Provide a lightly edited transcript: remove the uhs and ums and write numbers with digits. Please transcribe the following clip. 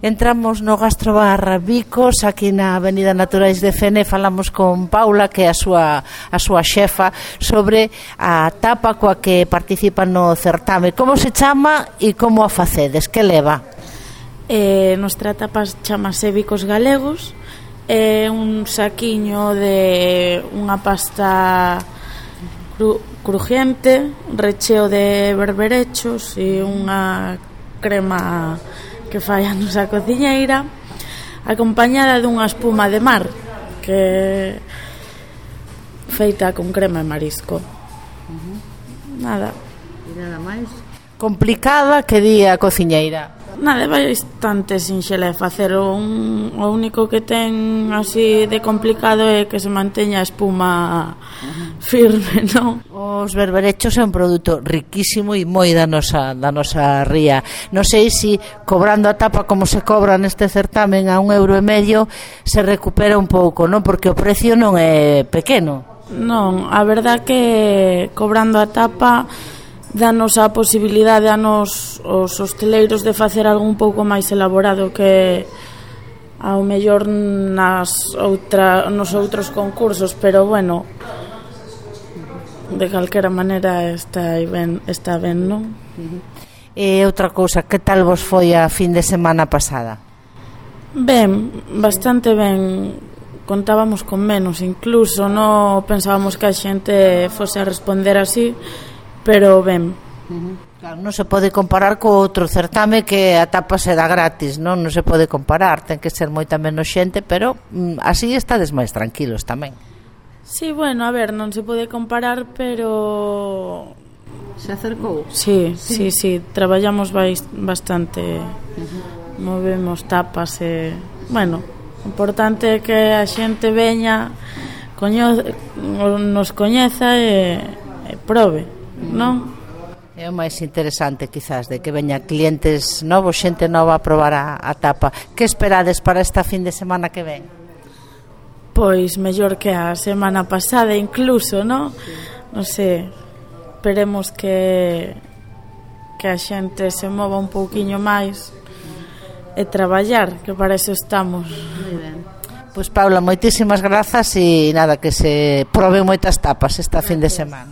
Entramos no Gastrobar Bicos, aquí na Avenida Naturais de Fene. Falamos con Paula, que é a súa xefa, sobre a tapa coa que participa no certame. Como se chama e como a facedes? Que leva? Nuestra tapa chamase Bicos Galegos. É un saquiño de unha pasta crujiente, recheo de berberechos e unha crema que fai a nosa cociñeira, acompañada dunha espuma de mar que feita con crema e marisco. Nada. E nada máis? Complicada que di a cociñeira? Nada, é bastante sinxela de facer. O único que ten así de complicado é que se manteña a espuma firme, non? Os berberechos é un produto riquísimo e moi da nosa ría. Non sei se cobrando a tapa como se cobra neste certamen a €1,5 se recupera un pouco, non? Porque o precio non é pequeno. Non, a verdad que cobrando a tapa danos a posibilidade a nos os hosteleiros de facer algo un pouco máis elaborado que ao mellor nos outros concursos, pero bueno, de calquera maneira está ben, non? E outra cousa, que tal vos foi a fin de semana pasada? Ben, bastante ben. Contábamos con menos, incluso non pensábamos que a xente fose a responder así, pero ben. Claro, non se pode comparar co outro certame que a tapa se dá gratis, non se pode comparar, ten que ser moita menos xente, pero así estades máis tranquilos tamén. Sí, bueno, a ver, non se pode comparar, pero se acercou? Sí, traballamos bastante, movemos tapas e, bueno, o importante é que a xente veña, nos coñeza e probe, non? É o máis interesante, quizás, de que veña clientes novos, xente nova a probar a tapa. Que esperades para esta fin de semana que ven? Pois mellor que a semana pasada incluso, non? Non sei, esperemos que a xente se mova un pouquiño máis e traballar, que para eso estamos. Moi ben. Pois Paula, moitísimas grazas e nada, que se proben moitas tapas esta fin de semana.